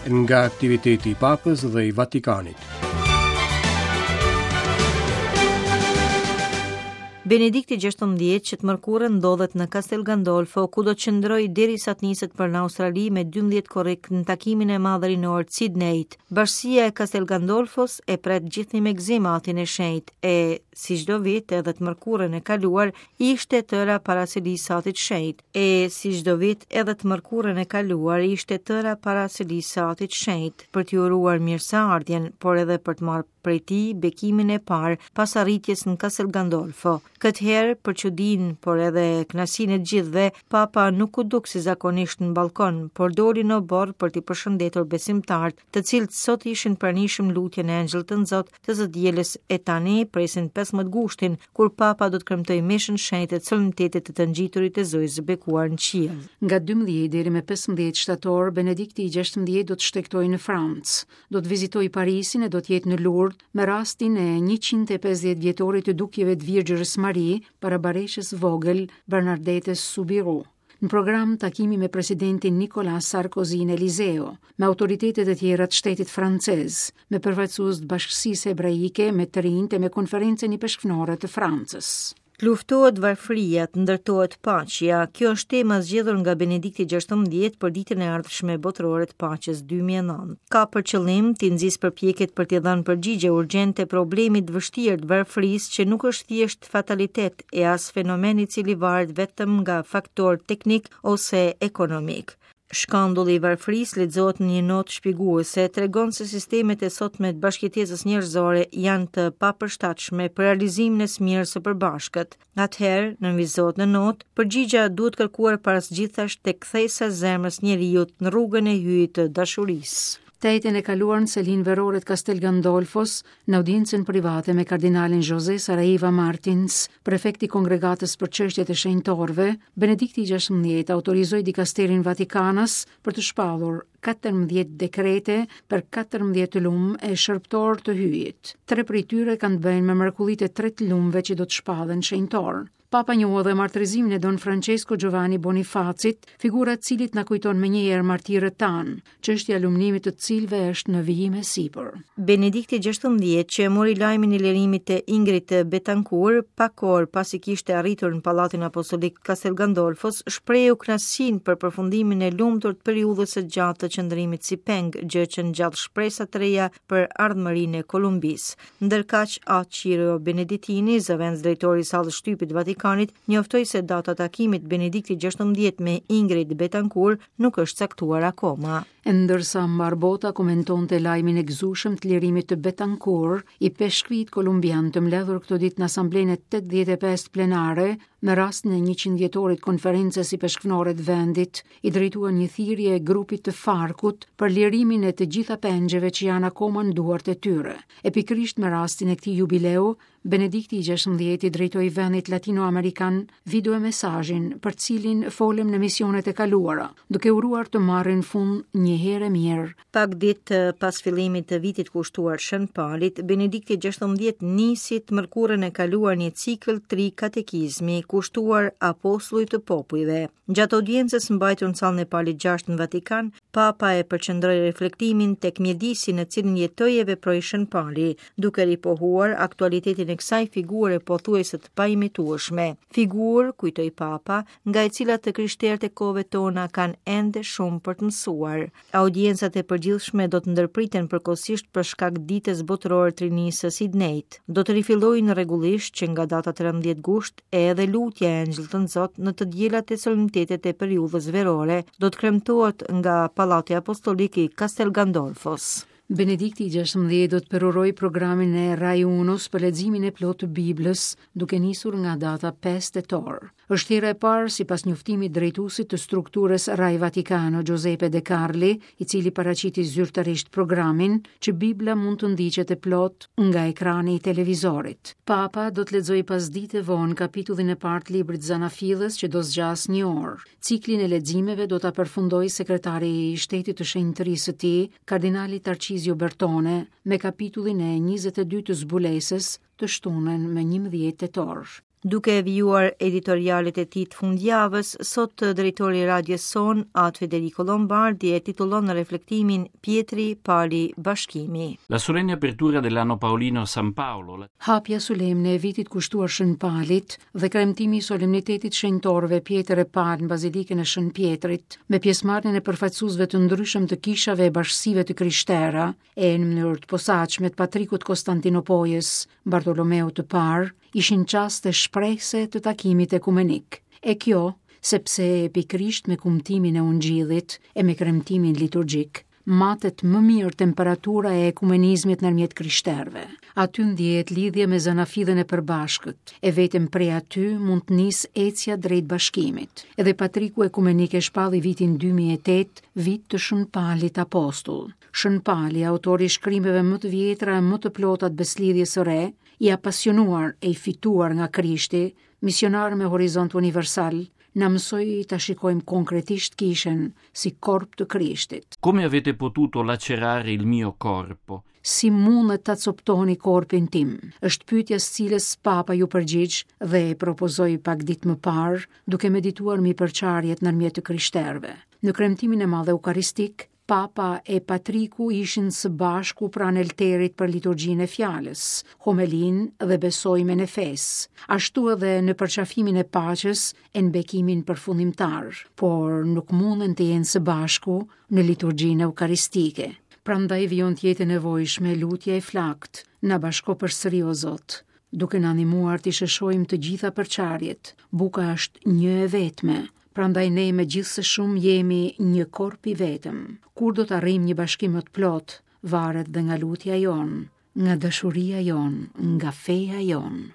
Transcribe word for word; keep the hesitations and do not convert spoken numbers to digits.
Nga aktiviteti i Papës dhe i Vatikanit. Benedikti gjashtëmbëdhjetë që të mërkurën ndodhet në Castel Gandolfo, ku do të qëndrojë derisa të niset për në Australi me dymbëdhjetë korrik në takimin e madh rinor të Sydneyt. Bashkësia e Castel Gandolfos e pret gjithnjë me gëzim atin e shenjtë e, si çdo vit edhe të mërkurën e kaluar, ishte tëra para selisë së atit shenjtë. E, si çdo vit edhe të mërkurën e kaluar, ishte tëra para selisë së atit shenjtë, për t'i uruar mirëseardhjen, por edhe për të marrë prej tij bekimin e parë pas arritjes në Castel Gandolfo. Këtë herë, për çudinë, por edhe kënaqësinë e të gjithëve, Papa nuk u duk si zakonisht në balkon, por doli në oborr për t'i përshëndetur besimtarët, të cilët sot ishin pranishëm lutjen e Engjëllit të Nxot të së dielës e tani presin pesëmbëdhjetë gushtin, kur Papa do të kremtojë meshën shenjtë të solemnitetit të të ngjiturit të Zojës së bekuar në qiell. Nga dymbëdhjetë deri me pesëmbëdhjetë shtator, Benedikti i gjashtëmbëdhjetë do të shtegtojë në Francë, do të vizitojë Parisin e do të jetë në Lourdes me rastin e njëqind e pesëdhjetë vjetorit të dukjeve të Virgjërës Mari para bareshës vogël Bernardetes Soubirous. Në program takimi me presidentin Nicolas Sarkozy në Eliseo, me autoritetet e tjera të shtetit francez, me përfaqësues të bashkësisë hebraike, me të rinjtë e me konferencën ipeshkvnore të Francës. Të luftohet varfëria, të ndërtohet paqja. Kjo është tema zgjedhur nga Benedikti gjashtëmbëdhjetë për ditën e ardhshme botërore të paqes dy mijë e nëntë. Ka për qëllim të nxisë përpjekjet për t'i dhënë përgjigje urgjente problemit të vështirë të varfërisë që nuk është thjesht fatalitet e as fenomen i cili varet vetëm nga faktor teknik ose ekonomik. Shkandulli i varfërisë lexohet në një notë shpjeguese, tregon se sistemet e sotme të bashkëjetesës njerëzore janë të papërshtatshme për realizimin e së mirës së përbashkët. Atëherë, nënvizohet në notë, përgjigjja duhet kërkuar para së gjithash tek kthesa e zemrës njeriut në rrugën e hyjit të dashurisë. Të enjten e kaluar në selinë verore të Castel Gandolfos, në audiencën private me kardinalin José Saraiva Martins, prefekti i kongregatës për çështjet e shenjtorëve, Benedikti i gjashtëmbëdhjetë autorizoi dikasterin Vatikanas për të shpallur katërmbëdhjetë dekrete për katërmbëdhjetë lumë e shërbëtor të hyjit. Tre prej tyre kanë të bëjnë me mrekullitë e tre të lumëve që do të shpallen shenjtor. Papa njohu edhe martirizimin e Don Francesco Giovanni Bonifacit, figura të cilit na kujton me njëherë martirët tanë, çështja e lumnimit të cilëve është në vijim e sipër. Benedikti gjashtëmbëdhjetë, që e mori lajmin e lirimit të Ingrid Betancourt pak orë pasi kishte arritur në Pallatin Apostolik Castel Gandolfos, shprehu kënaqësinë për përfundimin e lumtur të periudhës së gjatë të qëndrimit si peng, gjë që ngjall shpresa të reja për ardhmërinë e Kolumbisë. Ndërkaq, A. Ciro Benedettini, zëvendës drejtori i sallës shtypit Vatikanit, njoftoi se data e takimit Benedikti gjashtëmbëdhjetë me Ingrid Betancourt nuk është caktuar akoma. E ndërsa mbar bota komentonte lajmin e gëzueshëm të lirimit të Betancourt, i peshkvit kolumbian të mbledhur këto ditë në asamblenë e tetëdhjetë e pesë plenare me rastin e njëqind vjetorit konferencës ipeshkvnore të vendit, i drejtuan një thirrje grupit të Farkut për lirimin e të gjitha pengjeve që janë akoma në duart e tyre. E pikërisht me rastin e këtij jubileu, Benedikti i gjashtëmbëdhjetë i drejtoi vendit latinoamerikan video mesazhin për cilin folëm në misionet e kaluara, duke uruar të marrin fund një herë e mirë. Pak ditë pas fillimit të vitit kushtuar Shën Palit, Benedikti gjashtëmbëdhjetë nisi të mërkurën e kaluar një cikël tri katekizmi kushtuar apostullit të popujve. Gjatë audiencës mbajtur në sallën e Palit gjashtë në Vatikan, Papa e përqendroi reflektimin tek mjedisi në cilin jetoi e veproi Shën Pali, duke ripohuar aktualitetin e kësaj figure pothuajse të paimitueshme. Figurë, kujtoi Papa, nga e cila të krishterët e kohëve tona kanë ende shumë për të mësuar. Audiencat e përgjithshme do të ndërpriten përkohësisht për shkak ditës botërore të rinisë së Sydneyt. Do të rifillojnë rregullisht që nga data trembëdhjetë gusht e edhe lutja e Engjëllit të Nxot në të dielat e solemnitetet e periudhës verore do të kremtohet nga Pallati Apostolik i Castel Gandolfos. Benedikti i gjashtëmbëdhjetë do të përurojë programin e Rai Unos për leximin e plotë të Biblës, duke nisur nga data pesë tetor. Është hera e parë sipas njoftimit drejtuesit të strukturës Rai Vaticano, Giuseppe De Carli, i cili paraqiti zyrtarisht programin, që Bibla mund të ndiqet e plotë nga ekrani i televizorit. Papa do të lexojë pasdite vonë kapitullin e parë të librit Zanafillës që do zgjasë një orë. Ciklin e leximeve do ta përfundojë sekretari i Shtetit të Shenjtërisë së tij, kardinali Tarcizio Bertone, me kapitullin e njëzet e dy të zbulesës të shtunën me njëmbëdhjetë tetor. Duke vijuar editorialet e tij të fundjavës, sot drejtori i radios sonë, At Federico Lombardi, e titullon reflektimin Pjetri Pali Bashkimi. La solenne apertura dell'anno Paolino a San Paolo. La... Hapja solemne e vitit kushtuar Shën Palit dhe kremtimi i solemnitetit shenjtorëve Pjetër e Pal në Bazilikën e Shën Pjetrit, me pjesëmarrjen e përfaqësuesve të ndryshëm të kishave e bashkësive të krishtera, e në mënyrë të posaçme të patrikut Konstantinopojës, Bartolomeut të Parë, ishin çaste shprehse të takimit ekumenik. E kjo, sepse pikërisht me kumtimin e ungjillit e me kremtimin liturgjik, matet më mirë temperatura e ekumenizmit ndërmjet krishterëve. Aty ndjehet lidhja me zanafillën e përbashkët, e vetëm prej aty mund të nisë ecja drejt bashkimit. Edhe patriku ekumenik e shpalli vitin dy mijë e tetë, vit të Shën Palit Apostull. Shën Pali, autori i shkrimeve më të vjetra e më të plota të beslidhjes së re, i apasionuar e i fituar nga Krishti, misionar me horizont universal, na mësoi ta shikojmë konkretisht kishën si korp të Krishtit. Come avete potuto lacerare il mio corpo? Si mundet ta coptoni korpin tim? Është pyetja së cilës Papa ju përgjigj dhe e propozoi pak ditë më parë, duke medituar mbi përçarjet ndërmjet të krishterëve. Në kremtimin e madh eukaristik, Papa e Patriku ishin së bashku pranë altarit për liturgjinë e fjalës, homelin dhe besojmen e fesë, ashtu edhe në përqafimin e paqes e në bekimin përfundimtar, por nuk munden të jenë së bashku në liturgjinë eukaristike. Prandaj vijon të jetë e nevojshme lutja e flakt, na bashko përsëri o Zot, duke na ndihmuar të sheshojmë të gjitha përçarjet. Buka është një e vetme, prandaj ne me gjithë se shumë jemi një korp i vetëm. Kur do të arrijmë një bashkim më të plot, varet dhe nga lutja jonë, nga dashuria jonë, nga feja jonë.